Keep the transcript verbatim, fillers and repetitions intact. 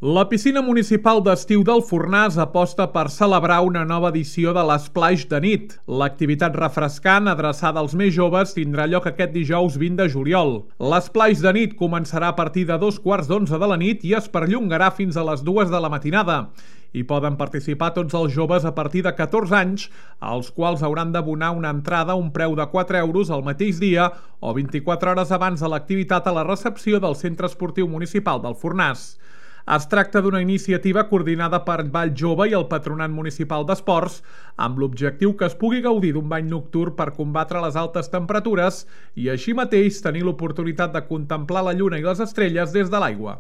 La piscina municipal d'estiu del Fornàs aposta per celebrar una nova edició de l'Splash de nit. L'activitat refrescant adreçada als més joves tindrà lloc aquest dijous vint de juliol. L'Splash de nit començarà a partir de dos quarts d'onze de la nit i es perllongarà fins a les dues de la matinada. Hi poden participar tots els joves a partir de catorze anys, als quals hauran d'abonar una entrada a un preu de quatre euros el mateix dia o vint-i-quatre hores abans de l'activitat a la recepció del Centre Esportiu Municipal del Fornàs. Es tracta d'una iniciativa coordinada per Vall Jove i el Patronat Municipal d'Esports, amb l'objectiu que es pugui gaudir d'un bany nocturn per combatre les altes temperatures i així mateix tenir l'oportunitat de contemplar la lluna i les estrelles des de l'aigua.